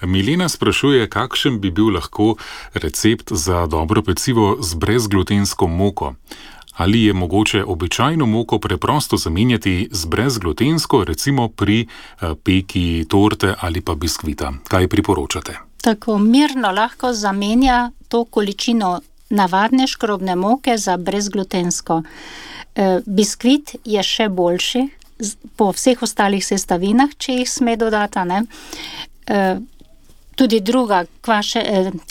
Milena sprašuje, kakšen bi bil lahko recept za dobro pecivo z brezglutensko moko. Ali je mogoče običajno moko preprosto zamenjati z brezglutensko, recimo pri peki torte ali pa biskvita? Kaj priporočate? Tako mirno lahko zamenja to količino navadne škrobne moke za brezglutensko. Biskvit je še boljši po vseh ostalih sestavinah, če jih sme dodati, ne? Tudi druga,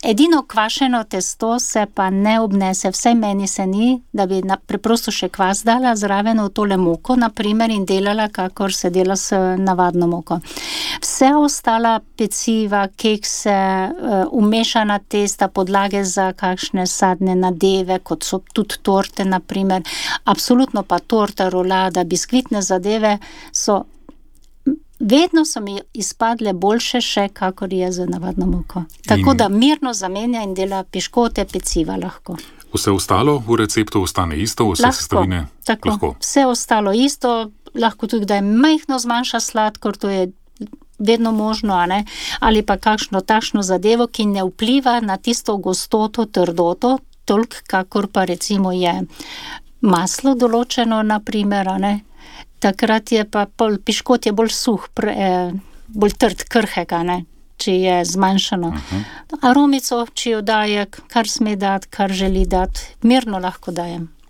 edino kvašeno testo se pa ne obnese, vsaj meni se ni, da bi preprosto še kvas dala zraven v tole moko, naprimer, in delala, kakor se dela s navadno moko. Vse ostala peciva, kekse, umešana testa, podlage za kakšne sadne nadeve, kot so tudi torte, naprimer, absolutno pa torta, rolada, biskvitne zadeve vedno so mi izpadle boljše še, kakor je z navadno moko. Tako da mirno zamenja in dela piškote, peciva lahko. Vse ostalo v receptu ostane isto, vse sestavine? Lahko. Vse ostalo isto, lahko tudi, da je majhno zmanjša sladkor, to je vedno možno, ali pa kakšno takšno zadevo, ki ne vpliva na tisto gostoto, trdoto, toliko, kakor pa recimo je maslo določeno, naprimer, Takrat je pa piškot je bolj suh, bolj trd, krhek, če je zmanjšano. Aromico, če jo daje, kar sme dati, kar želi dati, mirno lahko dajem.